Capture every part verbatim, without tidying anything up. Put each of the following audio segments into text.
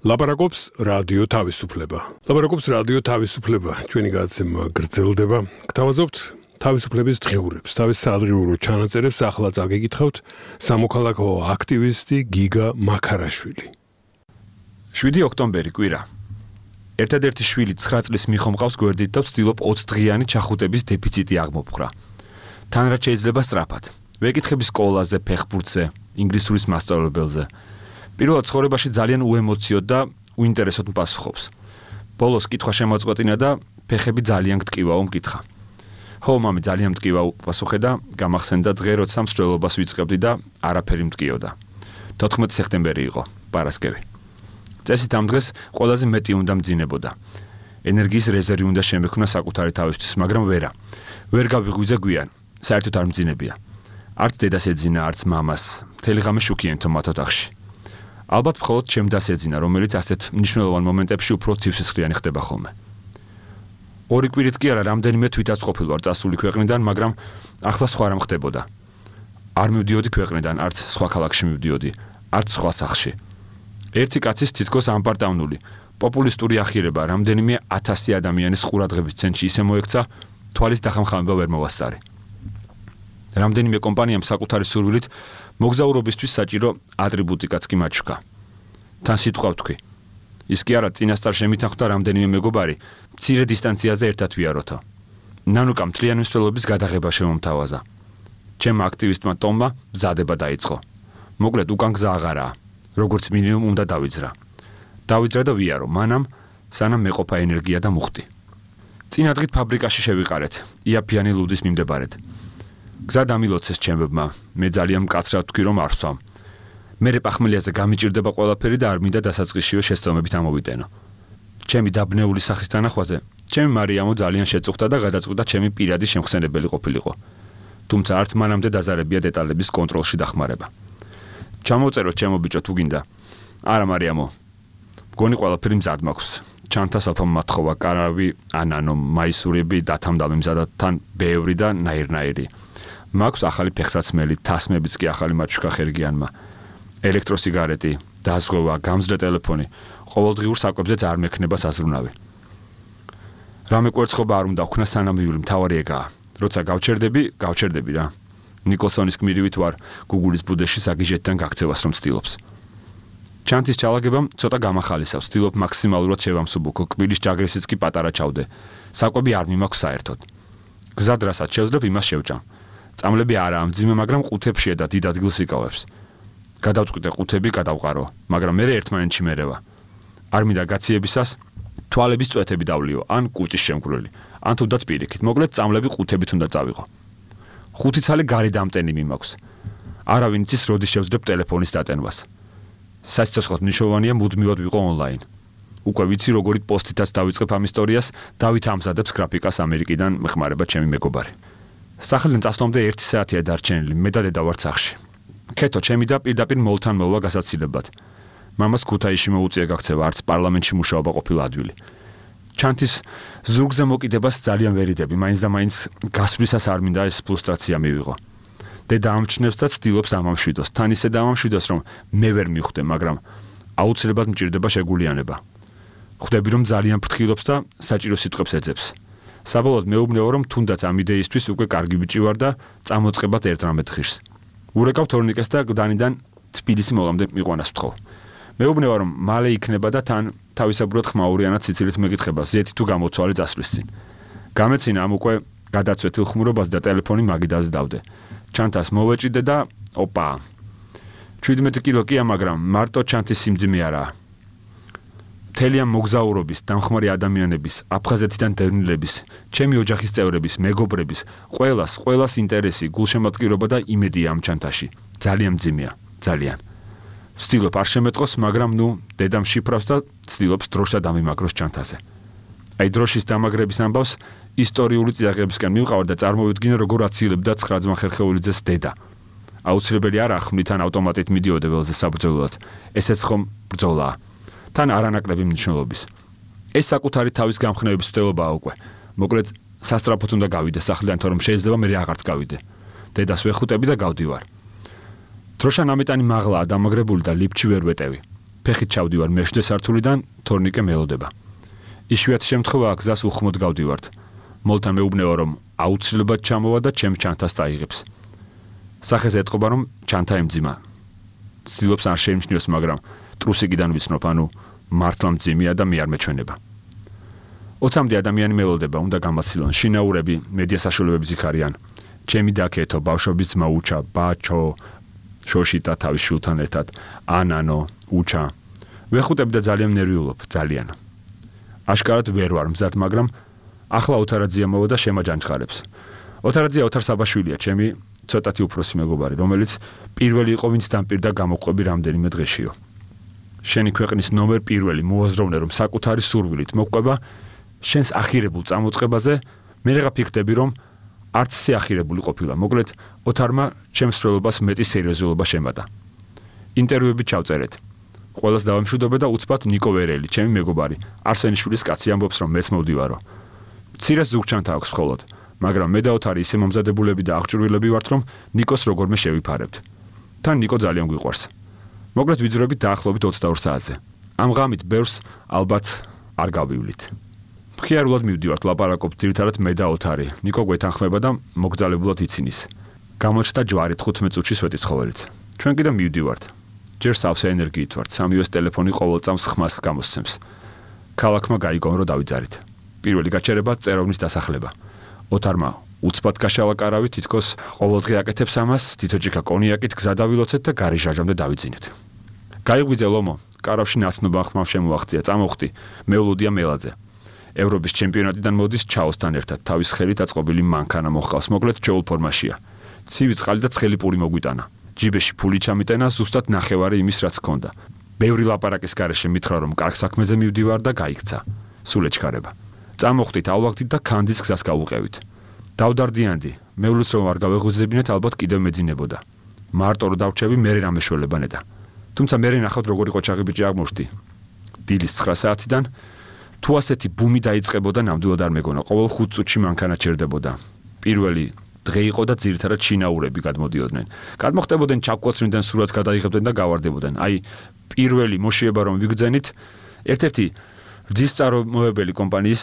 ლაპარაკობს რადიო თავისუფლება. ლაპარაკობს რადიო თავისუფლება. ჩვენი გადაცემა გრძელდება. გთავაზობთ თავისუფლების დღიურებს, თავის სადღიურო ჩანაწერებს ახლა წაგეკითხავთ სამოქალაქო აქტივისტი გიგა მაქარაშვილი. შვიდი ოქტომბერი კვირა. ერთადერთი შვილი ცხრა წლის მიხომყავს გვერდით და ვცდილობ ოცი დღიანი ჩახუტების დეფიციტი აღმოფხრა. თან რაც შეიძლება სწრაფად. ვეკითხები სკოლაზე, ფეხბურთზე, ინგლისურის მასწავლებელზე. პირველად ცხოვრებაში ძალიან უემოციოდ და უინტერესოდ მპასუხობს. ბოლოს კითხვა შემოწყვეტინა და ფეხები ძალიან გტკივაო მკითხა. ხო, მამი, ძალიან მტკივა უპასუხე და გამახსენდა დღე, როცა მსვლელობას ვიწყებდი და არაფერი მტკიოდა. თოთხმეტი სექტემბერი იყო, პარასკევი. წესით ამ დღეს ყველაზე მეტი უნდა მძინებოდა. ენერგიის რეზერვი უნდა შემექმნა საკუთარი თავისთვის, მაგრამ ვერა. ვერ გავიღვიძე გვიან, საერთოდ არ მძინებია. არც დედას ეძინა, არც მამას. მთელი ღამე შუქიენთო მათ ოთახში. ალბათ მხოლოდ ჩემ დას ეძინა, რომელიც ასეთ მნიშვნელოვან მომენტებში უფრო ცივსისხლიანი ხდება ხოლმე. ორი კვირით კი არა, რამდენიმე თვითაც ყოფილ ვარ წასული ქვეყნიდან, მაგრამ ახლა სხვა რამ ხდებოდა. არ მივდიოდი ქვეყნიდან, არც სხვა ქალაქში მივდიოდი, არც სხვა სახლში. ერთი კაცის თითქოს ამპარტავნული, პოპულისტური ახირება, რამდენიმე ათასი ადამიანის ყურადღების ცენტრში ისე მოექცა, თვალის დახამხამება ვერ მოვასწარი. რამდენიმე კომპანიამ საკუთარი სურვილით მოგზაურობისთვის საჭირო ატრიბუტიკაც კი მაჩვქა. თან სიტყვა ვთქვი. ის კი არა, წინასწარ შემითანხმდა რამდენიმე მეგობარი, მცირე დისტანციაზე ერთად ვიაროთო. ნანუკა მთლიანი მსვლელობის გადაღება შემომთავაზა. ჩემმა აქტივისტმა ტომმა მზადება დაიწყო. მოკლედ უკან გზა აღარაა. როგორც მინიმუმ უნდა დავიძრა. დავიძრა და ვიარო, მანამ სანამ მეყოფა ენერგია და მუხტი. წინა დღით ფაბრიკაში შევიყარეთ, იაფიანი ლუდის მიმდებარედ. გზა დამილოცეს ჩემებმა, მე ძალიან მკაცრად ვთქვი რომ არ ვსვამ. მერე პახმელიაზე გამიჭირდება ყველაფერი და არ მინდა დასაწყისშივე შეცდომებით ამოვიტენო. ჩემი დაბნეული სახის თანახვაზე, ჩემი მარიამო ძალიან შეწუხდა და გადაწყვიტა ჩემი პირადი შემხსენებელი ყოფილიყო. თუმცა არც მანამდე დაზარებია დეტალების კონტროლში დახმარება. ჩამოვწეროთ ჩემო ბიჭო თუ გინდა. არა მარიამო. მგონი ყველაფერი მზად მაქვს. ჩანთა სალფა მათხოვა, კარავი, ანანო, მაისურები, დათამდავი მზადად თან ბევრი და ნაირნაირი. მაქვს ახალი ფეხსაცმელი, თასმებიც კი ახალი მაჩვქა ხერგიანმა. ელექტროსიგარეტი, დაზღვევა, გამძლე ტელეფონი, ყოველდღიურ საკვებზეც არ მექნება საზრუნავი. რამე კვერცხობა არ უნდა ვქნა სანამ ვივლი, მთავარი ეგაა. როცა გავჩერდები, გავჩერდები რა. ნიკოლსონის გმირივით ვარ გუგულის ბუდეში საგიჟეთთან გაქცევას რომ ცდილობს. ჩანთის ჩალაგებამ ცოტა გამახალისავს, ვცდილობ მაქსიმალურად შევამსუბუქო, კბილის ჯაგრისიც კი პატარა ჩავდე. საკვები არ მიმაქვს საერთოდ. გზად რასაც შევძლებ, იმას შევჭამ. წამლები არაა მძიმე, მაგრამ ყუთებშია და დიდ ადგილს იკავებს. გადავწყვიტე ყუთები გადავყარო, მაგრამ მე ერთმანეთში მერევა. არ მინდა გაციებისას თვალების წვეთები დავლიო, ან კუჭის შემგვრელი, ან თუნდაც პირიქით. მოკლედ წამლები ყუთებით უნდა წავიღო. ხუთი ცალი გარი დამტენი მიმაქვს. არავინ იცის როდის შევძლებ ტელეფონის დატენვას. სასიცოცხლოდ მნიშვნელოვანია მუდმივად ვიყო ონლაინ. უკვე ვიცი როგორი პოსტითაც დავიწყებ ამ ისტორიას, დავით ამზადებს გრაფიკას ამერიკიდან მეხმარება ჩემი მეგობარი. სახლიდან წასვლამდე ერთი საათია დარჩენილი, მე და დედა ვართ სახლში. ქეთო ჩემი და პირდაპირ მოლთან მოვლა გასაცილებად. მამას ქუთაისში მოუწია გაქცევა, არც პარლამენტში მუშაობა ყოფილა ადვილი. ჩანთის ზურგზე მოკიდებას ძალიან ვერიდები, მაინც და მაინც გასვლისას არ მინდა ეს ფრუსტრაცია მივიღო. დედა ამჩნევს და ცდილობს ამამშვიდოს, თან ისე დამამშვიდოს, რომ მე ვერ მივხვდე, მაგრამ აუცილებლად მჭირდება შეგულიანება. ხვდები რომ ძალიან ფრთხილობს და საჭირო სიტყვებს ეძებს. საბოლოოდ მეუბნეო რომ თუნდაც ამ იდეისთვის უკვე კარგი ბიჭი ვარ და წამოწყებად ერთ რამე ღირს. ურეკავ თორნიკეს და გდანიდან თბილისი მოვამდე მიყვანას ვთხოვ. მეუბნევა რომ მალე იქნება და თან თავისებურად ხმაურიანად სიცილით მეკითხება ზეთი თუ გამოცვალე წასვლის წინ. გამეცინა ამ უკვე გადაცვეთილ ხმურობას და ტელეფონი მაგიდაზე დავდე. ჩანთას მოვეჭიდე და ოპა. შვიდმეტი კილო კია, მაგრამ მარტო ჩანთის სიმძიმე არაა. მთელი ამ მოგზაურობის, დამხმარე ადამიანების, აფხაზეთიდან დევნილების, ჩემი ოჯახის წევრების, მეგობრების, ყველას, ყველას ინტერესი, გულშემატკივრობა და იმედია ამ ჩანთაში. ძალიან მძიმეა, ძალიან. ვცდილობ არ შემეტყოს, მაგრამ ნუ დედამ შიფრავს და ვცდილობს დროშად ამიმაგროს ჩანთაზე. აი დროშის დამაგრების ამბავს ისტორიული წიაღებისკენ მივყავარ და წარმოვიდგინე როგორ აცილებდა ცხრა ძმა ხერხეულიძეს დედა. აუცილებელი არა ხმლით ან ავტომატით მიდიოდა ველზე საბრძოლოდ. ესეც ხომ ბრძოლაა. თან არანაკლები მნიშვნელობის. ეს საკუთარი თავის გამხნევების ვდელობაა უკვე. მოკლედ სასტრაფოდ უნდა გავიდე სახლიდან, თორემ შეიძლება მე აღარც გავიდე. დედას ვეხუტები და გავდივარ. დროშა ნამეტანი მაღლაა დამაგრებული და ლიფტში ვერ ვეტევი. ფეხით ჩავდივარ მეშვიდე სართულიდან, თორნიკე მელოდება. იშვიათი შემთხვევაა გზას უხმოდ გავდივართ. მოლთან მეუბნევა, რომ აუცილებლად ჩამოვა და ჩემს ჩანთას დაიღებს. სახეს ეტყობა, რომ ჩანთა ემძიმა. ცდილობს არ შეიმჩნიოს, მაგრამ ტრუსიკიდან ვიცნობ, ანუ მართლა მძიმეა და მე არ მეჩვენება. ოცამდე ადამიანი მელოდება, უნდა გამაცილონ, შინაურები, მედია საშუალებების იქ არიან. ჩემი დაქეთო, ბავშვების ძმა უჩა, ბაჩო, შოშიტა თავის შვილთან ერთად, ანანო, უჩა. ვეხუტები და ძალიან ნერვიულობ, ძალიან. აშკარად ვერ ვარ მზად, მაგრამ ახლა ოთარაძია მოვა და შემაჯანჯღარებს. ოთარაძია ოთარ საბაშვილია, ჩემი ცოტათი უფროსი მეგობარი, რომელიც პირველი იყო, ვინც დამპირდა გამოყვები რამდენიმე დღეშიო. შენი ქვეყნის ნომერ პირველი მოაზროვნე, რომ საკუთარი სურვილით მოყვება შენს ახირებულ წამოწყებაზე, მე რა ფიქრდები, რომ არც ისე ახირებული ყოფილა. მოკლედ, ოთარმა ჩემს სრულობას მეტი სერიოზულობა შემატა. ინტერვიუები ჩავწერეთ. ყველას დავამშვიდობე და უცბად ნიკო ვერელი, ჩემი მეგობარი, არსენიშვილის კაცი ამბობს, რომ მეც მოვდივარო. მცირე ზურგჩანთა აქვს მხოლოდ, მაგრამ მე და ოთარი ისე მომზადებულები და აღჭურვილები ვართ, რომ ნიკოს როგორმე შევიფარებთ. თან ნიკო ძალიან გვიყვარს. მოკლედ ვიძრებით დაახლოებით ოცდაორ საათზე. ამ ღამით ბევრს ალბათ არ გავივლით. მხიარულად მივდივართ, ლაპარაკობთ ძირითადად მე და ოთარი. ნიკო გვეთანხმება და მოგძალებულად იცინის. გამოჩნდა ჯვარი თხუთმეტ წუთში სვეტიცხოველიც. ჩვენ კიდე მივდივართ. ჯერ სავსე ენერგიით ვართ, სამივეს ტელეფონი ყოველ წამს ხმას გამოსცემს. ქალაქმა გაიგო, რომ დავიძარით. პირველი გაჩერება წეროვნის დასახლება. ოთარმა უცბად გაშალა კარავი, თითქოს ყოველდღე აკეთებს ამას, თითოჯიქა კონიაკით გზა დავილოცეთ და გარიჟაჟამდე დავიძინეთ. გაიღვიძე ლომო, კარავში ნაცნობა ხმამ შემოაღწია, წამოხვდი, მეულოდია მელაძე. ევროპის ჩემპიონატიდან მოდის ჩაოსთან ერთად, თავის ხელით აწყობილი მანქანა მოჰყავს, მოკლედ ჩეულ ფორმაშია. ცივი წყალი და ცხელი პური მოგვიტანა. ჯიბეში ფული ჩამიტენა, ზუსტად ნახევარი იმის, რაც ჰქონდა. ბევრი ლაპარაკის გარეშე მითხრა, რომ კარგ საქმეზე მივდივარ და გაიქცა. სულ ეჩქარება. წამოხვდით, ავლაგდით და ქანდის გზას გავუყევით. დავდარდიანდი, მეულიც რომ არ გავეღვიძებინეთ, ალბათ კიდევ მეძინებოდა. მარტო რო დავრჩები, მე რამე შველებანედა. თუმცა მე ნახავთ როგორი ყოჩაღი ბიჭი აღმოჩნდი. დილის ცხრა საათიდან თუ ასეთი ბუმი დაიწყებოდა, ნამდვილად არ მეგონა, ყოველ ხუთ წუთში მანქანა ჩერდებოდა. პირველი დღე იყო და ძირითადად შინაურები გადმოდიოდნენ. გადმოხტებოდნენ ჩაკვოცნიდან სურათს გადაიღებდნენ და გავარდებოდნენ. აი, პირველი მოშიება რომ ვიგრძენით, ერთ-ერთი რძის მწარმოებელი კომპანიის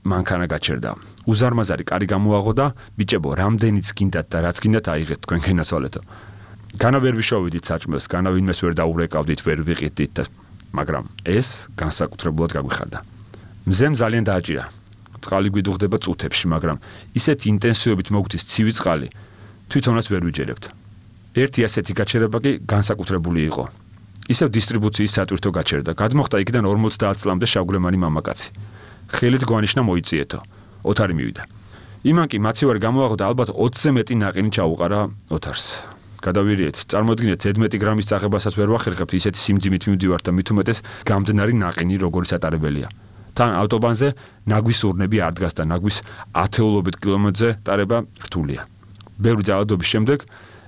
მანქანა გაჩერდა. უზარმაზარი კარი გამოაღო და ბიჭებო, რამდენიც გინდათ და რაც გინდათ აიღეთ თქვენ გენაცვალეთო. განა ვერ ვიშოვიდით საჭმელს, განა ვინმეს ვერ დაურეკავდით, ვერ ვიყიდით, მაგრამ ეს განსაკუთრებულად გაგვიხარდა. მზემ ძალიან დააჭირა. წყალი გვიდუღდება წუთებში, მაგრამ ისეთ ინტენსივობით მოგვდის ცივი წყალი, თვითონაც ვერ ვიჯერებთ. ერთი ასეთი გაჩერება კი განსაკუთრებული იყო. ისევ დისტრიბუციის სატვირთო გაჩერდა. გადმოხდა იქიდან ორმოცდაათ წლამდე შავგრემანი მამაკაცი. ხელით გვანიშნა მოიწიეთო. ოთარი მივიდა. იმან კი მაცივარი გამოაღო და ალბათ ოცზე მეტი ნაყინი ჩაუყარა ოთარს. გადავირიეთ, წარმოიდგინეთ, ზედმეტი გრამის წაღებასაც ვერ ვახერხებთ, ისეთი სიმძიმით მივდივართ და მით უმეტეს გამდნარი ნაყინი როგორი სატარებელია. თან ავტობანზე ნაგვის ურნები არ დგას და ნაგვის ათეულობით კილომეტრზე ტარება რთულია. ბევრი ძალადობის შემდეგ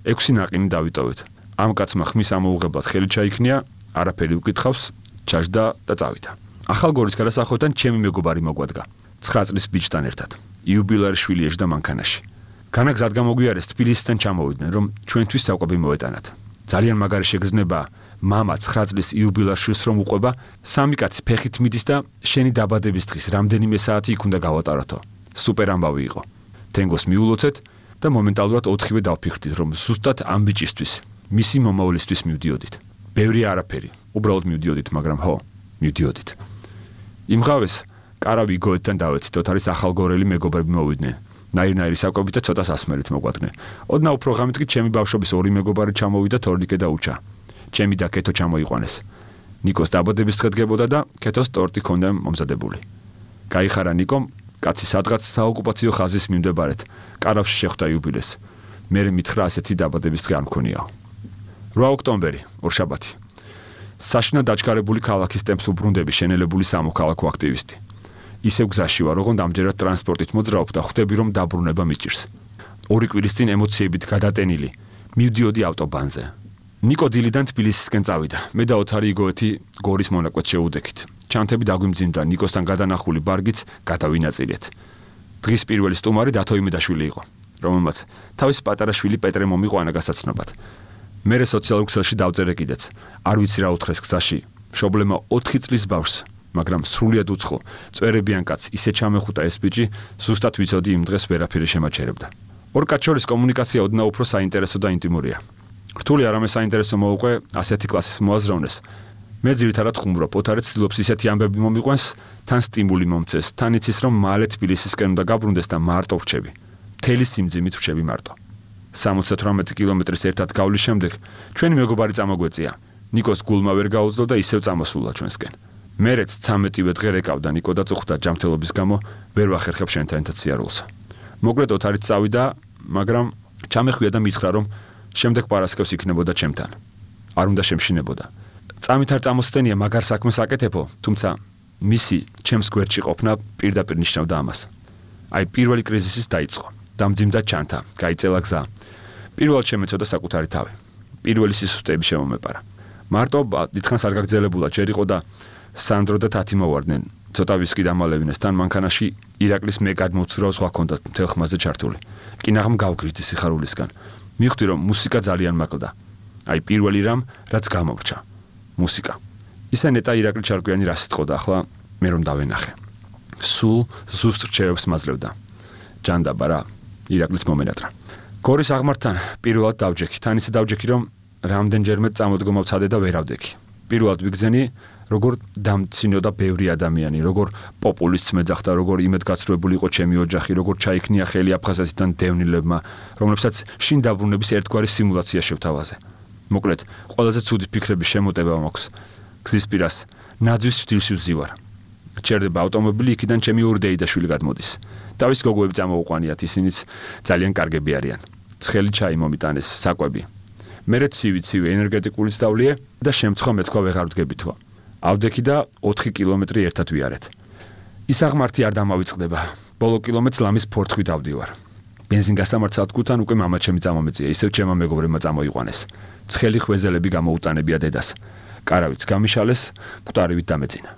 ექვსი ნაყინი დავიტოვეთ. ამ კაცმა ხმის ამოუღებლად ხელი ჩაიქნია, არაფერი უკითხავს, ჩაჯდა და წავიდა. ახალგორის გადასახვიდან ჩემი მეგობარი მოგვადგა. ცხრა წლის ბიჭთან ერთად. იუბილარი შვილი ეжда მანქანაში. განა გზად გამოგვიარეს თბილისიდან ჩამოვიდნენ, რომ ჩვენთვის საკვები მოეტანათ. ძალიან მაგარი შეგრძნება მამა ცხრა წლის იუბილარ შვილს რომ უყვება, სამი კაცი ფეხით მიდის და შენი დაბადების დღის რამდენიმე საათი იქ უნდა გავატაროთო. სუპერ ამბავი იყო. თენგოს მიულოცეთ და მომენტალურად ოთხივე დავფიქრდით, რომ ზუსტად ამ ბიჭისთვის, მისი მომავლისთვის მივდიოდით. ბევრი არაფერი, უბრალოდ მივდიოდით, მაგრამ ხო, მივდიოდით. იმღავეს კარავი გოეთთან დავეცით, ოთარის ახალგორელი მეგობრები მოვიდნენ. ნაირ-ნაირი საკვებით და ცოტა სასმელით მოგვადგნენ. ოდნავ უფრო ღამით კი ჩემი ბავშვობის ორი მეგობარი ჩამოვიდა, თორნიკე და უჩა. ჩემი და კეთო ჩამოიყვანეს. ნიკოს დაბადების დღე დგებოდა და კეთოს ტორტი ჰქონდა მომზადებული. გაიხარა ნიკომ, კაცი სადღაც საოკუპაციო ხაზის მიმდებარედ, კარავში შეხვდა იუბილეს. მე მითხრა ასეთი დაბადების დღე არ მქონიაო. რვა ოქტომბერი, ორშაბათი. საშინა დაჩქარებული ქალაქის ტემპს უბრუნდები შენელებული სამოქალაქო აქტივისტი. ისევ გზაში ვარ, ოღონდ ამჯერად ტრანსპორტით მოძრაობ და ხვდები, რომ დაბრუნება მიჭირს. ორი კვირის წინ ემოციებით გადატენილი, მივდიოდი ავტობანზე. ნიკო დილიდან თბილისისკენ წავიდა. მე და ოთარი იგოეთი გორის მონაკვეთს შეუდექით. ჩანთები დაგვიმძიმდა, ნიკოსთან გადანახული ბარგიც გადავინაწილეთ. დღის პირველი სტუმარი დათო იმედაშვილი იყო, რომელმაც თავის პატარა შვილი პეტრე მომიყვანა გასაცნობად. მე სოციალურ ქსელში დავწერე კიდეც. არ ვიცი რა უთხრეს გზაში. მშობლემა ოთხი წლის ბავშვს, მაგრამ სრულიად უცხო, წვერებიან კაცს ისე ჩამეხუტა ეს ბიჭი, ზუსტად ვიცოდი იმ დღეს ვერაფერი შემაჩერებდა. ორ კაცს შორის კომუნიკაცია ოდნავ უფრო საინტერესო და ინტიმურია. რთული არამე საინტერესო მოუყვე ასეთი კლასის მოაზროვნეს. მე ძირითადად ხუმრობ, ოთარე ცდილობს ისეთი ამბები მომიყვანს, თან სტიმული მომწეს, თან იცის რომ მალე თბილისისკენ უნდა გაბრუნდეს და მარტო ვრჩები. მთელი სიმძიმით ვრჩები მარტო. სამოცდათვრამეტი კილომეტრის ერთად გავლის შემდეგ ჩვენი მეგობარი წამოგვეწია. ნიკოს გულმა ვერ გაუძლო და ისევ წამოსულა ჩვენსკენ. მერეც ცამეტივე დღე რეკავდა ნიკო და წუხდა ჯანმრთელობის გამო ვერ ვახერხებ შენთან ერთად სიარულს. მოკლედ ოთარით წავიდა, მაგრამ ჩამეხვია და მითხრა რომ შემდეგ პარასკევს იქნებოდა ჩემთან. არ უნდა შემშინებოდა. წამით არ წამოსდენია მაგარ საქმეს აკეთებო, თუმცა მისი ჩემს გვერდში ყოფნა პირდაპირ ნიშნავდა ამას. აი პირველი კრიზისის დაიწყო. დამძიმდა ჩანთა, გაიწელა გზა. პირველად შემეცოდა საკუთარი თავი. პირველი სისუსტეები შემომეპარა. მარტო დიდხანს არ გაგრძელებულა, ჯერ იყო და სანდრო და თათი მოვარდნენ. ცოტა ვისკი დამალევინეს, თან მანქანაში ირაკლის მე გადმოვცურავ სხვა ჰქონდათ მთელ ხმაზე ჩართული. კინაღამ გავგრიზდი სიხარულისგან. მივხვდი რომ მუსიკა ძალიან მაკლდა. აი პირველი რამ, რაც გამოვრჩა. მუსიკა. ისა ნეტა ირაკლი ჩარკვიანი რა სიტყოდა, ახლა მე რომ დავენახე. სულ ზუსტ რჩევებს მაძლევდა. ჯანდაბა რა, ირაკლის მომენატრა. გორის აღმართთან პირველად დავჯექი, თან ისე დავჯექი რომ რამდენჯერმე წამოდგომა ვცადე და ვერავდექი. პირველად ვიგზენი, როგორ დამცინოდა ბევრი ადამიანი, როგორ პოპულისტს მეძახდა, როგორ იმედგაცრუებული იყო ჩემი ოჯახი, როგორ ჩაიქნია ხელი აფხაზეთიდან დევნილებმა, რომლებსაც შინ დაბრუნების ერთგვარი სიმულაცია შევთავაზე. მოკლედ, ყველაზე ცუდი ფიქრების შემოტება მაქვს. გზის პირას ნაძვის შტილში ვზივარ. ჩერდება ავტომობილი, იქიდან ჩემი ურდეი და შვილი გადმოდის. თავის გოგოები წამოუყვანიათ, ისინიც ძალიან კარგები არიან. ცხელი ჩაი მომიტანეს, საკვები. მერე ცივი-ცივი ენერგეტიკული სწავლიე და შემცხვა მეთქვა ვეღარ ვდგებითო. ავდექი და ოთხი კილომეტრი ერთად ვიარეთ. ის აღმართი არ დამავიწყდება. ბოლო კილომეტრს ლამის ფორთხით ავდივარ. ბენზინგასამართ სადგურთან უკვე მამაჩემი წამომეწია, ისევ ჩემმა მეგობრებმა წამოიყვანეს. ცხელი ხვეზელები გამოუტანებია დედას. კარავიც გამიშალეს, მკვდარივით დამეწინა.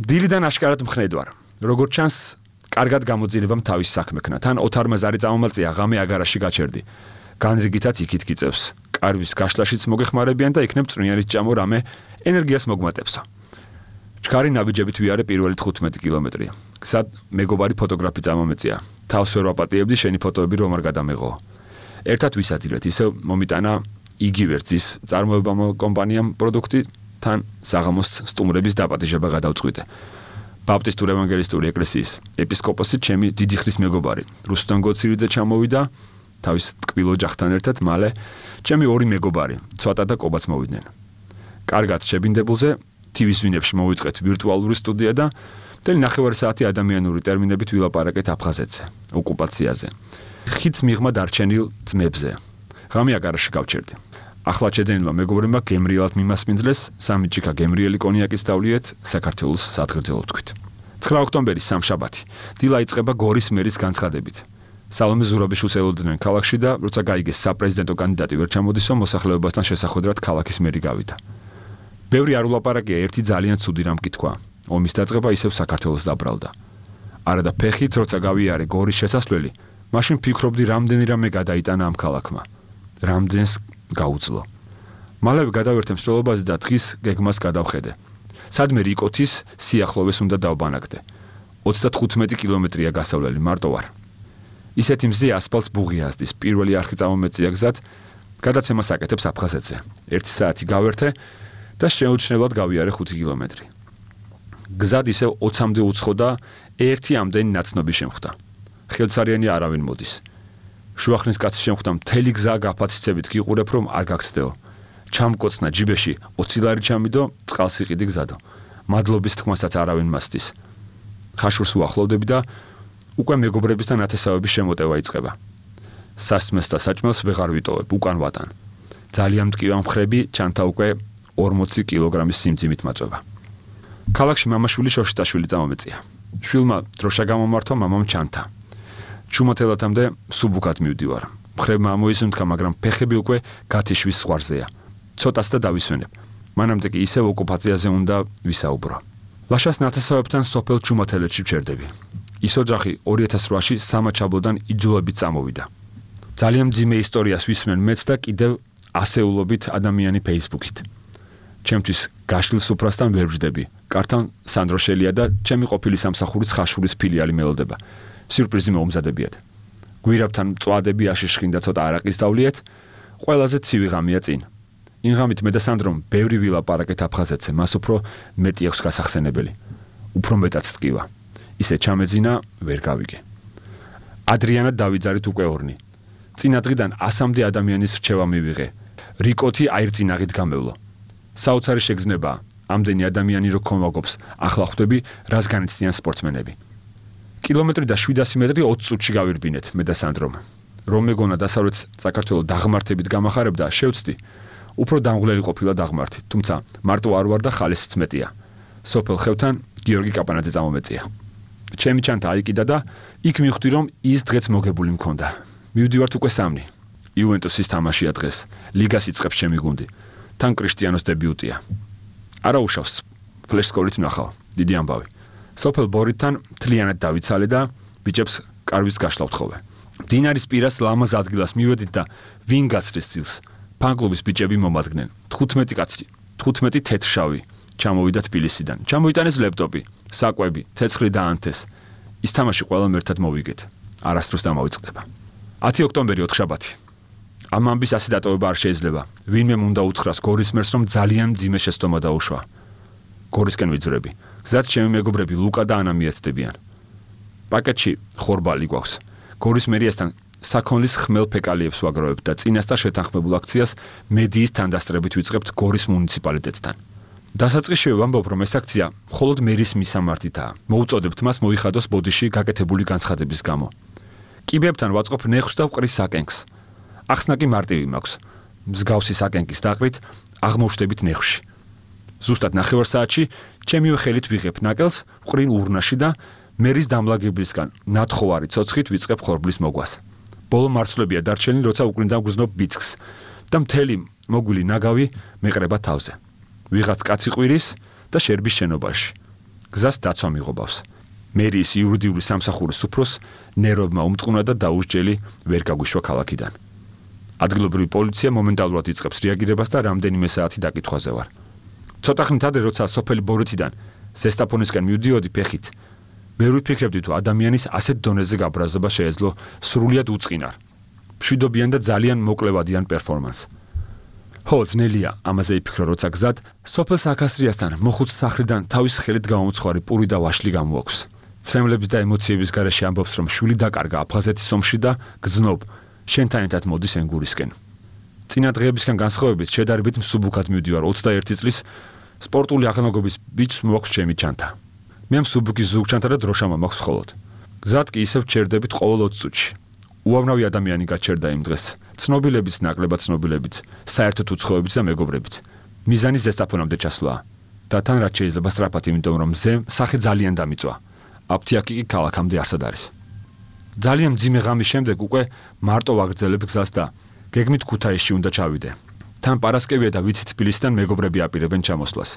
დილიდან აშკარად მხნედ ვარ. როგორც ჩანს, კარგად გამოძილებამ თავის საქმექნა. თან ოთარმა ზარი წამომალწია, ღამე აგარაში გაჩერდი. განრიგითაც იქით გიწევს. კარვის გაშლაშიც მოგეხმარებიან და იქნებ წვნიანით ჭამო რამე ენერგიას მოგმატებსო. ჩქარი ნაბიჯებით ვიარე პირველი თხუთმეტი კილომეტრი. გზად მეგობარი ფოტოგრაფი წამომეწია. თავს ვერ ვაპატიებდი, შენი ფოტოები რომ არ გადამეღო. ერთად ვისადილეთ, ისევ მომიტანა იგივე რძის წარმოება კომპანიამ პროდუქტი, თან საღამოს სტუმრების დაპატიჟება გადავწყვიტე. ბაპტისტური ევანგელისტური ეკლესიის ეპისკოპოსი ჩემი დიდი ხნის მეგობარი. რუსუდან გოცირიძე ჩამოვიდა, თავის ტკბილ ოჯახთან ერთად, მალე ჩემი ორი მეგობარი, ცოტა და კობაც მოვიდნენ. კარგად შებინდებულზე ტივის ვინებში მოვიწყეთ ვირტუალური სტუდია და მთელი ნახევარი საათი ადამიანური ტერმინებით ვილაპარაკეთ აფხაზეთზე, ოკუპაციაზე. ხიდს მიღმა დარჩენილ ძმებზე. ღამე აგარაში გავჩერდი. ახლა შეძენილმა მეგობრებმა გემრიელად მიმასპინძლეს, სამი ჭიქა გემრიელი კონიაკის დავლიეთ საქართველოს სადგრძელო თქვით. ცხრა ოქტომბერი სამშაბათი. დილა იწყება გორის მერის განცხადებით. სალომე ზურაბიშვილს ელოდნენ ქალაქში და როცა გაიგეს საპრეზიდენტო კანდიდატი ვერ ჩამოდისო, მოსახლეობასთან შესახვედრად ქალაქის მერი გავიდა. ბევრი არ ულაპარაკია, ერთი ძალიან ცუდი რამ კითხვა. ომის დაწყება ისევ საქართველოს დაბრალდა. არადა ფეხით როცა გავიარე გორის შესასვლელი, მაშინ ფიქრობდი რამდენი რამე გადაიტანა ამ ქალაქმა. რამდენს გაუძლო. მალევე გადავერთე მსვლელობაზე და დღის გეგმას გადავხედე. სადმე რიკოთის სიახლოვეს უნდა დავბანაგდე. ოცდათხუთმეტი კილომეტრია გასავლელი, მარტო ვარ. ისეთი მზე ასფალტს ბუღი აზდის, პირველი არხი წამომეწია გზად, გადაცემას აკეთებს აფხაზეთზე. ერთი საათი გავერთე და შეუჩნებლად გავიარე ხუთი კილომეტრი. გზად ისევ ოცამდე უცხო და ერთი ამდენი ნაცნობი შემხვდა. ხელცარიანი არავინ მოდის. შუახნის კაცი შემხვდა, მთელი გზა გაფაციცებით გიყურებ რომ არ გაგცდეო. ჩამკოცნა ჯიბეში ოცი ლარი ჩამიდო, წყალს იყიდი გზადო. მადლობის თქმასაც არავინ მასდის. ხაშურს უახლოვდები და უკვე მეგობრებისთან ათესავების შემოტევა იწყება. სასმელს და საჭმელს ვეღარ ვიტოვებ, უკან ვატან. ძალიან მტკივა მხრები, ჩანთა უკვე ორმოცი კილოგრამის სიმძიმით მაწვება. ქალაქში მამაშვილი შოშიტაშვილი წამომეწია. შვილმა დროშა გამომართვა, მამამ ჩანთა. ჩუმათელათამდე სუბუქად მივდივარ. მხრებმა ამოისუნთქა, მაგრამ ფეხები უკვე გათიშვის ზღვარზეა. ცოტას და დავისვენებ. მანამდე კი ისევ ოკუპაციაზე უნდა ვისაუბრო. ლაშას ნათესავებთან სოფელ ჩუმათელეთში ვჩერდები. ის ოჯახი ორი ათას რვაში სამაჩაბლოდან იძულებით წამოვიდა. ძალიან მძიმე ისტორიას ვისმენ მეც და კიდევ ასეულობით ადამიანი Facebook-ით. ჩემთვის გაშლილ სუფრასთან ვერ ვждები. კართან სანდრო შელია და ჩემი ყოფილი სამსახურის ხაშურის ფილიალი მელოდება. სიურპრიზი მოუმზადებიათ. გვირაბთან მწვადები აშიშხინ და ცოტა არაყის დავლიეთ. ყველაზე ცივი ღამეა წინ. იმ ღამით მე და სანდრომ ბევრი ვილაპარაკეთ აფხაზეთზე, მას უფრო მეტი აქვს გასახსენებელი. უფრო მეტად ტკივა. ისე ჩამეძინა, ვერ გავიგე. ადრიანად დავიძარით უკვე ორნი. წინა დღიდან ასამდე ადამიანის რჩევა მივიღე. რიკოთი აირწინაღით გამევლო. საოცარი შეგრძნებაა. ამდენი ადამიანი რო ქომაგობს, ახლა ხვდები, რას განიცდიან სპორტსმენები. კილომეტრი და შვიდასი მეტრი ოცი წუთში გავირბინეთ მე და სანდრომ. რომ მეგონა დასავლეთ საქართველოს დაღმართებით გამახარებდა, შევცდი. უფრო დამღლელი ყოფილა დაღმართი, თუმცა მარტო არ ვარ და ხალისიც მეტია. სოფელ ხევთან გიორგი კაპანაძე წამომეწია. ჩემი ჩანთა აიკიდა და იქ მივხვდი რომ ის დღეც მოგებული მქონდა. მივდივართ უკვე სამნი. იუვენტუსის თამაშია დღეს. ლიგას იწყებს ჩემი გუნდი. თან კრისტიანოს დებიუტია. არა უშავს, ფლეშსკორით ვნახავ, დიდი ამბავი. სოფელ ბორითთან მთლიანად დავიცალე და ბიჭებს კარვის გაშლა ვთხოვე. მდინარის პირას ლამაზ ადგილას მივედით და ვინ გაცრეს წილს. ფანკლუბის ბიჭები მომადგნენ. თხუთმეტი კაცი, თხუთმეტი თეთრშავი. ჩამოვიდა თბილისიდან. ჩამოიტანეს ლეპტოპი, საკვები, ცეცხლი დაანთეს. ის თამაში ყველამ ერთად მოვიგეთ. არასდროს დამავიწყდება. ათი ოქტომბერი ოთხშაბათი. ამ ამბის ასე დატოვება არ შეიძლება. ვინმე უნდა უთხრას გორის მერს რომ ძალიან მძიმე შეცდომა დაუშვა. გორისკენ ვიძვრები. გზად ჩემი მეგობრები ლუკა და ანა მიერთდებიან. პაკეტში ხორბალი გვაქვს. გორის მერიასთან საქონლის ხმელ ფეკალიებს ვაგროვებთ და წინასწარ შეთანხმებულ აქციას მედიის თანდასწრებით ვიწყებთ გორის მუნიციპალიტეტთან. დასაწყისშივე ვამბობ, რომ ეს აქცია მხოლოდ მერის მისამართითაა. მოუწოდებთ მას მოიხადოს ბოდიში გაკეთებული განცხადების გამო. კიბეებთან ვაწყობ ნეხვს და ვყრის საკენკს. ახსნა კი მარტივი მაქვს. მსგავსი საკენკის დაყრით აღმოჩნდებით ნეხვში. ზუსტად ნახევარ საათში ჩემივე ხელით ვიღებ ნაკელს, ვყრინ ურნაში და მერის დამლაგებლისგან ნათხოვარი ცოცხით ვიწყებ ხორბლის მოგვას. ბოლო მარცვლებია დარჩენილი, როცა უკრინდა გვგზნობ ბიცკს და მთელი მოგვილი ნაგავი მეყრება თავზე. ვიღაც კაცი ყვირის და შერბის შენობაში. გზას დაცვა მიღობავს. მერიის იურიდიული სამსახურის უფროს ნერვებმა უმტყუნა და დაუსჯელი ვერ გაგვიშვა ქალაქიდან. ადგილობრივი პოლიცია მომენტალურად იწყებს რეაგირებას და რამდენიმე საათი დაკითხვაზე ვარ. ცოტა ხნით ადრე, როცა სოფელი ბორითიდან ზესტაფონისკენ მივდიოდი ფეხით, ვერ ვიფიქრებდი თუ ადამიანის ასეთ დონეზე გაბრაზობა შეეძლო სრულიად უწყინარ, მშვიდობიან და ძალიან მოკლევადიან პერფორმანსს. ხო, ძნელია ამაზე იფიქრო, როცა გზად სოფელ საქასრიასთან მოხუც სახლიდან თავის ხელით გამომცხვარი პური და ვაშლი გამოაქვს. ცრემლების და ემოციების გარეშე ამბობს, რომ შვილი დაკარგა აფხაზეთის ომში და გძნობ, შენთან ერთად მოდის ენგურისკენ. წინა დღეებისგან განსხვავებით შედარებით მსუბუქად მივდივარ ოცდაერთი წლის სპორტული აღნაგობის ბიჭს მოაქვს ჩემი ჩანთა. მე მსუბუქის ზურგჩანთა და დროშამა მაქვს მხოლოდ. გზად კი ისევ ჩერდებით ყოველ ოცი წუთში. უამრავი ადამიანი გაჩერდა იმ დღეს. ცნობილებიც, ნაკლებად ცნობილებიც, საერთოდ უცხოებიც და მეგობრებიც. მიზანი ზესტაფონამდე ჩასვლაა. და თან რაც შეიძლება სწრაფად, იმიტომ რომ მზე სახე ძალიან დამიწვა. აფთიაქი კი ქალაქამდე არსად არის. ძალიან მძიმე ღამის შემდეგ უკვე მარტო ვაგრძელებ გზას და გეგმით ქუთაისში უნდა ჩავიდე. თან პარასკევია და ვიცით თბილისიდან მეგობრები აპირებენ ჩამოსვლას.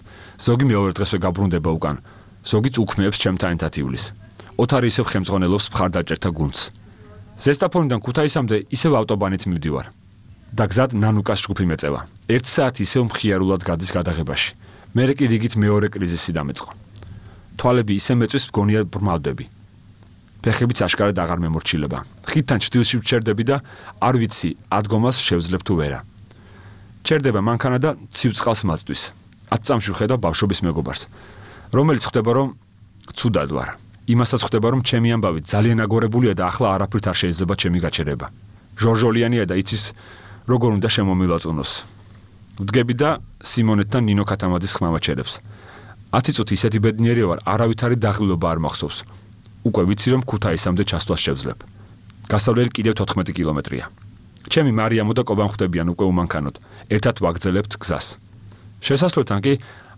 ზოგი მეორე დღესვე გაბრუნდება უკან. ზოგიც უქმეებს ჩემთან ერთად ივლის. ოთარი ისევ ხელმძღვანელობს მხარდაჭერთა გუნდს. ზესტაფონიდან ქუთაისამდე ისევ ავტობანით მივდივარ. და გზად ნანუკას ჯგუფი მეწევა. ერთი საათი ისევ მხიარულად გადის გადაღებაში. მერე კი რიგით მეორე კრიზისი დამეწყო. თვალები ისე მეწვის მგონია ბრმავდები. ფეხებიც აშკარად აღარ მემორჩილება. ხიდთან ჭდილში ვჩერდები და არ ვიცი ადგომას შევძლებ თუ ვერა. ჩერდება მანქანა და ცივ წყალს მაწვის. ათ წამში ვხედავ ბავშვობის მეგობარს, რომელიც ხვდება რომ ცუდად ვარ. იმასაც ხვდება რომ ჩემი ამბავი ძალიან აგორებულია და ახლა არაფრით არ შეიძლება ჩემი გაჩერება. ჟორჟოლიანია და იცის როგორ უნდა შემომილაწუნოს. ვდგები და სიმონეთთან ნინო ქათამაძის ხმამაჩერებს. ათი წუთი ისეთი ბედნიერი ვარ, არავითარი დაღლილობა არ მახსოვს. უკვე ვიცი რომ ქუთაისამდე ჩასვლას შევძლებ. გასავლელი კიდევ თოთხმეტი კილომეტრია. ჩემი მარიამო და კობამ ხვდებიან უკვე უმანქანოდ. ერთად ვაგრძელებთ გზას. შესასვლელთან კი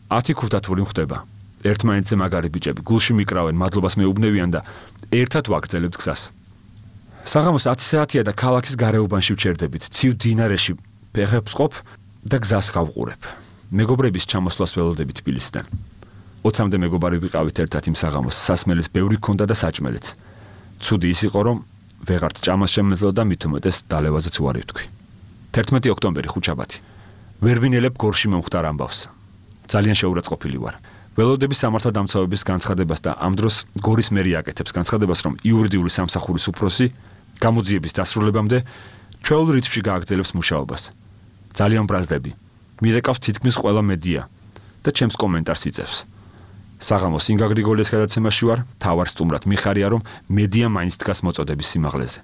ათი ქუთათური ხდება. ერთმანეთზე მაგარი ბიჭები გულში მიკრავენ, მადლობას მეუბნევიან და ერთად ვაგრძელებთ გზას. საღამოს ათი საათია და ქალაქის გარეუბანში ვჩერდებით. ცივ დინარეში ფეხებს ყოფ და გზას გავყურებ. მეგობრების ჩამოსვლას ველოდებით თბილისიდან. ოცამდე მეგობარი ვიყავით ერთად იმ საღამოს. სასმელის ბევრი ქონდა და საჭმელიც. ცუდი ის იყო რომ ვეღარც ჭამას შემეძლო და მით უმეტეს დალევაზეც უარი ვთქვი. თერთმეტი ოქტომბერი ხუთშაბათი. ვერ ვინელებ გორში მომხდარ ამბავს. ძალიან შეურაცხყოფილი ვარ. ველოდების სამართალდამცავების განცხადებას და ამ დროს გორის მერი აკეთებს განცხადებას, რომ იურიდიული სამსახურის უფროსი გამოძიების დასრულებამდე ჩვეულ რითმში გააგრძელებს მუშაობას. ძალიან ბრაზდები. მირეკავს თითქმის ყველა მედია და ჩემს კომენტარს იწევს. საღამო სინგა გრიგოლიას გადაცემაში ვარ, თავარ სტუმრად მიხარია, რომ მედია მაინც დგას მოწოდების სიმაღლეზე.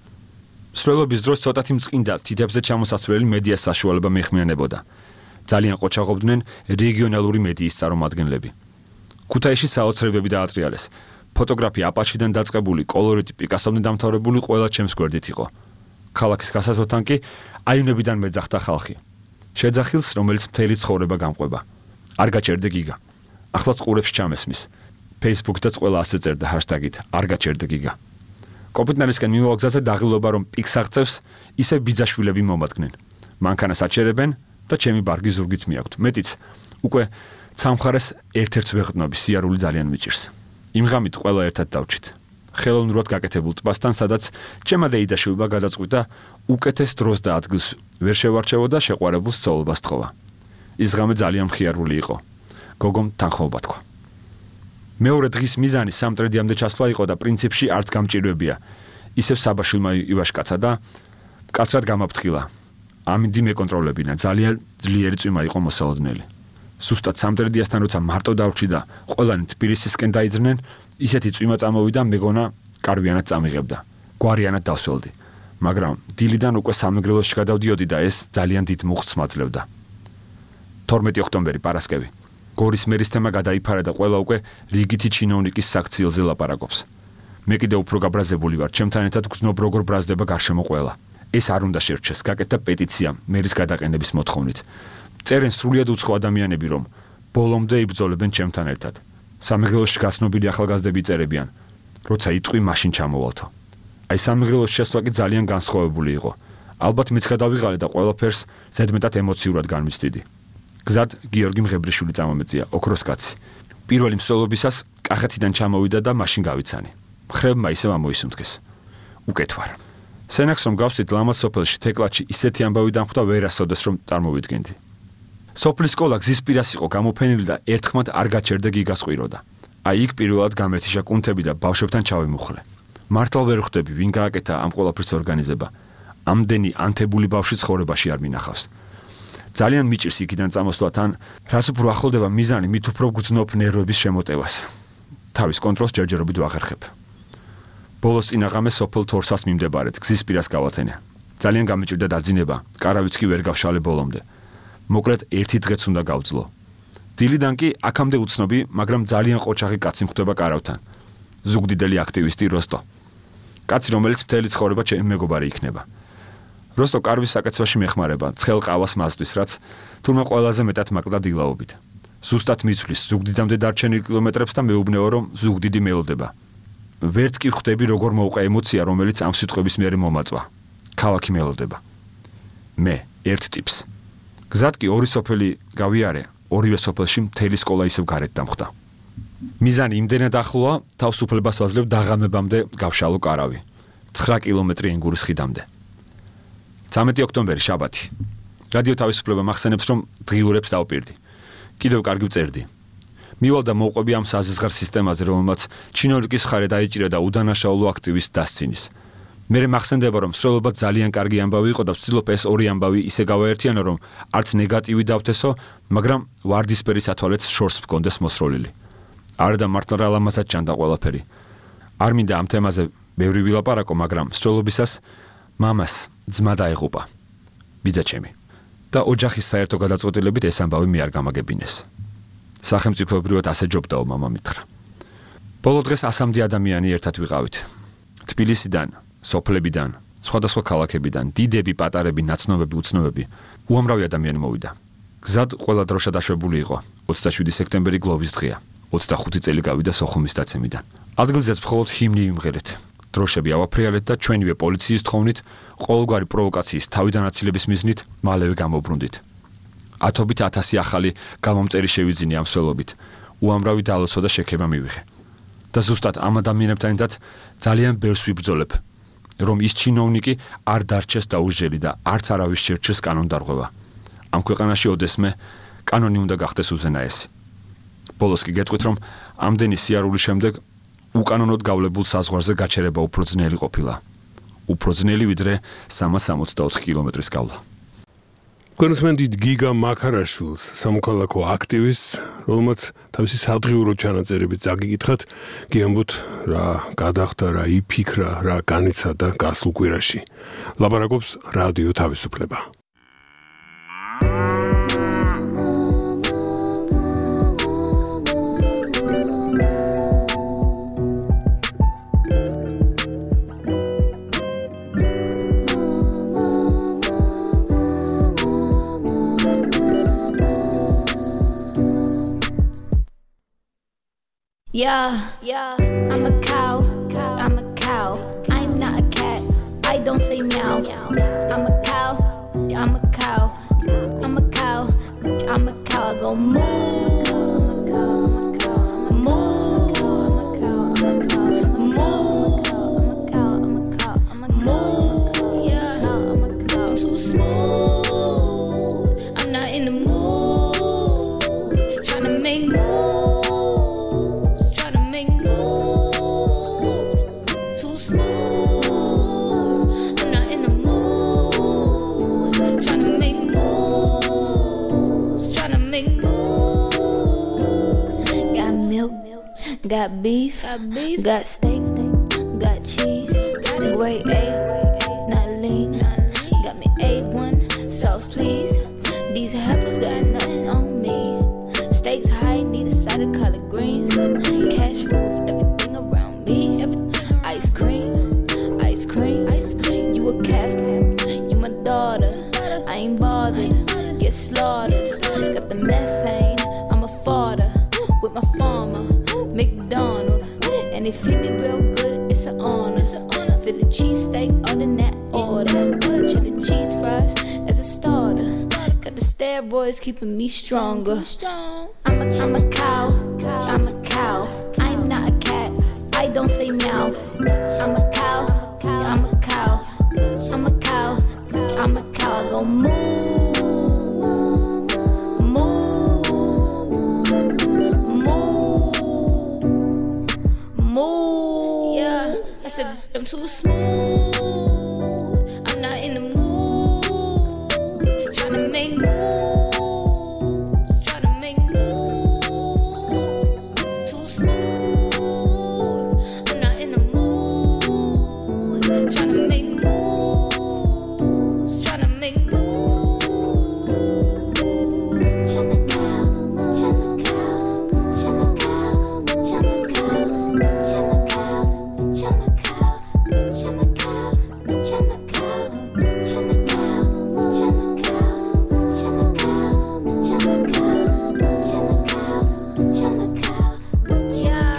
სრულობის დროს ცოტათი მწყინდა თითებზე ჩამოსასვლელი მედიას საშუალება მეხმიანებოდა. ძალიან ყოჩაღობდნენ რეგიონალური მედიის წარმომადგენლები. ქუთაისში საოცრებები დაატრიალეს. ფოტოგრაფი აპაჩიდან დაწყებული კოლორიტი პიკასომდე დამთავრებული ყველა ჩემს გვერდით იყო. ქალაქის გასასვლელთან კი აივნებიდან მეძახდა ხალხი. შეძახილს, რომელიც მთელი ცხოვრება გამყვება. არ გაჩერდე გიგა. ახლაც ყურებს ჩამესმის. Facebook-დაც ყველა ასე წერდა ჰაშტაგით არ გაჩერდე გიგა. კოპიტნარისკენ მიმავალ გზაზე დაღილობა, რომ პიკს აღწევს, ისე ბიძაშვილები მომადგნენ. მანქანას აჩერებენ და ჩემი ბარგი ზურგით მიაქვთ. მეტიც უკვე ცამხარეს ერთ-ერთს ვეღდნობი, სიარული ძალიან მიჭირს. იმ ღამით ყველა ერთად დავჭით. ხელოვნურად გაკეთებულ ტბასთან, სადაც ჩემმა დეიდაშვილმა გადაწყვიტა უკეთეს დროს და ადგილს ვერ შევარჩევოდა შეყვარებულ სწავლობას თხოვა. ის ღამე ძალიან მხიარული იყო. გოგომ თანხმობა თქვა. მეორე დღის მიზანი სამტრედიამდე ჩასვლა იყო და პრინციპში არც გამჭირვებია. ისევ საბაშვილმა ივაშკაცა და კაცრად გამაფრთხილა. ამინდი მეკონტროლებინა, ძალიან ძლიერი წვიმა იყო მოსალოდნელი. სუსტად სამტრედიასთან როცა მარტო დავრჩი და ყველანი თბილისისკენ დაიძრნენ, ისეთი წვიმა წამოვიდა, მეგონა კარვიანად წამიღებდა. გვარიანად დავსველდი. მაგრამ დილიდან უკვე სამეგრელოში გადავდიოდი და ეს ძალიან დიდ მუხტს მაძლევდა. თორმეტი ოქტომბერი პარასკევი. გორის მერის თემა გადაიფარა და ყველა უკვე რიგითი ჩინოვნიკის საქციელზე ლაპარაკობს. მე კიდე უფრო გაბრაზებული ვარ, ჩემთან ერთად გრძნობ როგორ ბრაზდება გარშემო ყველა. ეს არ უნდა შერჩეს, გაკეთდა პეტიცია მერის გადაყენების მოთხოვნით. წერენ სრულიად უცხო ადამიანები, რომ ბოლომდე იბრძოლებენ ჩემთან ერთად. სამეგრელოში გაცნობილი ახალგაზრდები წერებიან, როცა იტყვი მაშინ ჩამოვალთო. აი სამეგრელოში შესვლა კი ძალიან განსხვავებული იყო. ალბათ მეც გადავიღალე და ყველაფერს ზედმეტად ემოციურად განვიცდიდი. გზად გიორგი მღებრიშვილი წამომეწია, ოქროს კაცი. პირველი მსვლელობისას კახეთიდან ჩამოვიდა და მაშინ გავიცანი. მხრებმა ისევ ამოისუნთქეს. უკეთ ვარ. სენახს რომ გავსვით ლამაზ სოფელში თეკლაჩი ისეთი ამბავი დამხვდა, ვერასოდეს რომ წარმოვიდგენდი. სოფლის სკოლა გზის პირას იყო გამოფენილი და ერთხმად არ გაჩერდა გიგას ყვიროდა. აი იქ პირველად გამეთიშა კუნთები და ბავშვებთან ჩავიმუხლე. მართლა ვერ ხვდები, ვინ გააკეთა ამ ყველაფრის ორგანიზება. ამდენი ანთებული ბავშვი ცხოვრებაში არ მინახავს. ძალიან მიჭირს იქიდან წამოსვლა თან, რაც უფრო ახლდება მიზანი, მით უფრო გრძნობ ნერვების შემოტევას. თავის კონტროლს ჯერჯერობით ვაღერხებ. ბოლოს წინაღამე სოფელ თორსას მიმდებარედ გზის პირას გავათენე. ძალიან გამიჭირდა დაძინება, კარავიც კი ვერ გავშალე ბოლომდე. მოკლედ ერთი დღეც უნდა გავძლო. დილიდან კი აქამდე უცნობი, მაგრამ ძალიან ყოჩაღი კაცი მხვდება კარავთან. ზუგდიდელი აქტივისტი როსტო. კაცი, რომელიც მთელი ცხოვრება ჩემი მეგობარი იქნება. როსტო კარვის საკეცვაში მეხმარება, ცხელ ყავას მასთვის, რაც თურმე ყველაზე მეტად მაკლდა დილაობით. ზუსტად მიცვლის ზუგდიდამდე დარჩენილ კილომეტრებს და მეუბნეო, რომ ზუგდიდი მელოდება. ვერც კი ხვდები, როგორ მოვყე ემოცია, რომელიც ამ სიტყვების მიერ მომაწვა. ქალაქი მელოდება. მე ერთ ტიპს. გზად კი ორი სოფელი გავიარე, ორივე სოფელში მთელი სკოლა ისევ გარეთ დამხვდა. მიზანი იმდენად ახლოა, თავს უფლებას ვაძლევ დაღამებამდე გავშალო კარავი. ცხრა კილომეტრი ენგურის ხიდამდე. ცამეტი ოქტომბერი შაბათი. რადიო თავისუფლება მახსენებს, რომ დღიურებს დავპირდი. კიდევ კარგი ვწერდი. მივალ და მოვყვები ამ საზღარ სისტემაზე, რომელმაც ჩინოვნიკის მხარე დაიჭირა და უდანაშაულო აქტივისტს დასცინის. მერე მახსენდება, რომ სროლობა ძალიან კარგი ამბავი იყო და ვცდილობ ეს ორი ამბავი ისე გავაერთიანო, რომ არც ნეგატივი დავთესო, მაგრამ ვარდისფერი სათვალეც შორს მქონდეს მოსროლილი. არ და მართლა რა ლამაზად ჭანდა ყველაფერი. არ მინდა ამ თემაზე ბევრი ვილაპარაკო, მაგრამ სროლობისას მამას ძმა დაეღუპა. ბიძაჩემი. და ოჯახის საერთო გადაწყვეტილებით ეს ამბავი მე არ გამაგებინეს. სახელმწიფოებრივად ასე ჯობდაო მამა მითხრა. ბოლო დღეს ასამდე ადამიანი ერთად ვიყავით. თბილისიდან, სოფლებიდან, სხვადასხვა ქალაქებიდან, დიდები, პატარები, ნაცნობები, უცნობები, უამრავი ადამიანი მოვიდა. გზად ყველა დროშა დაშვებული იყო. ოცდაშვიდი სექტემბერი გლოვის დღეა. ოცდახუთი წელი გავიდა სოხუმის დაცემიდან. ადგილზეც მხოლოდ ჰიმნი ვიმღერეთ. დროშები ავაფრიალეთ და ჩვენივე პოლიციის თხოვნით, ყოველგვარი პროვოკაციის თავიდან აცილების მიზნით მალევე გამოვბრუნდით. ათობით ათასი ახალი გამომწერი შევიძინე ამ სველობით. უამრავი დალოცვა და შექება მივიღე. და ზუსტად ამ ადამიანებთან ერთად ძალიან ბევრს ვიბრძოლებ, რომ ის ჩინოვნიკი არ დარჩეს დაუჟელი და არც არავის შერჩეს კანონდარღვევა. ამ ქვეყანაში ოდესმე კანონი უნდა გახდეს უზენაესი. ბოლოს კი გეტყვით, რომ ამდენი სიარულის შემდეგ უკანონოდ გავლებულ საზღვარზე გაჩერება უფრო ძნელი ყოფილა. უფრო ძნელი ვიდრე სამას სამოცდაოთხ კილომეტრის გავლა. კონსმენდით გიგა მაქარაშვილს, სამოქალაქო აქტივისტს, რომელმაც თავისი სადღიურო ჩანაწერებით წაგიკითხათ, გიამბოთ რა გადახდა, რა იფიქრა, რა განიცადა გასულ კვირაში. ლაპარაკობს რადიო თავისუფლება. Yeah, yeah, I'm a cow, I'm a cow, I'm not a cat, I don't say meow. I'm a cow, I'm a cow, I'm a cow, I'm a cow, I go moo, moo, moo, yeah, I'm too smooth, I'm not in the mood, tryna make moves. Got beef, got, beef. got steak, got cheese, got grade A, not lean. Got me A one, sauce please. These heifers got nothing on me. Steaks high, need a side of collard greens. Cash rules everything around me. Ice cream, ice cream, ice cream. You a calf, you my daughter. I ain't bothered, get slaughtered. Got the methane, I'm a fodder with my farmer. McDonald, and they feed me real good, it's an honor. For the cheesesteak, other than that order. Chili cheese fries as a starter. Got the steroids keeping me stronger. I'm a, I'm a cow, I'm a cow. I'm not a cat, I don't say meow. I'm a cow, I'm a cow. I'm a cow, I'm a cow. I go moo. I'm too smooth, I'm not in the mood, tryna make moves, tryna make moves, too smooth, I'm not in the mood, tryna make moves, tryna make moves, tryna cow, tryna cow, tryna cow, tryna cow, tryna cow, tryna cow. Chana cow, chana cow, chana cow, chana cow, chana cow, chana cow, chana cow, chana cow, yeah,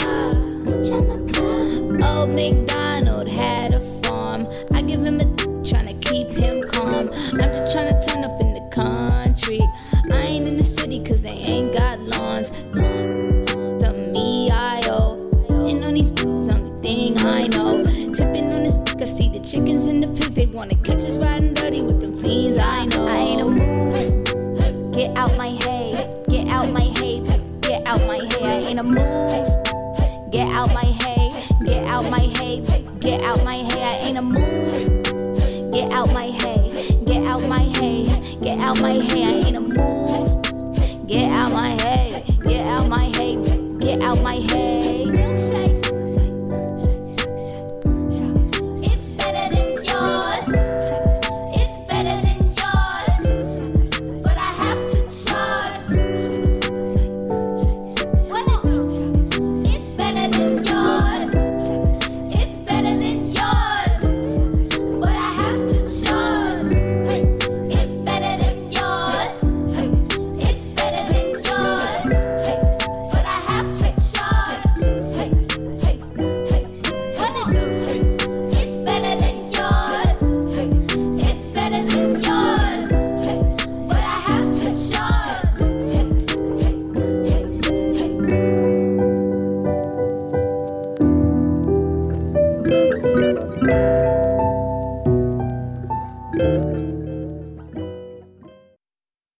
chana cow. Old MacDonald had a farm. I give him a tryna keep him calm. I'm just tryna turn up in the country. I ain't in the city cause they ain't got lawns. The me I owe. And on these only thing I know. Chickens and the pigs, they wanna catch us riding dirty with them fiends. I know I ain't a moose. Get out my hay, get out my hay, get out my hay. I ain't a moose. Get out my hay, get out my hay, get out my hay. I ain't a moose. Get out my hay, get out my hay, get out my hay. I ain't a moose. Get out my hay, get out my hay, get out my hay.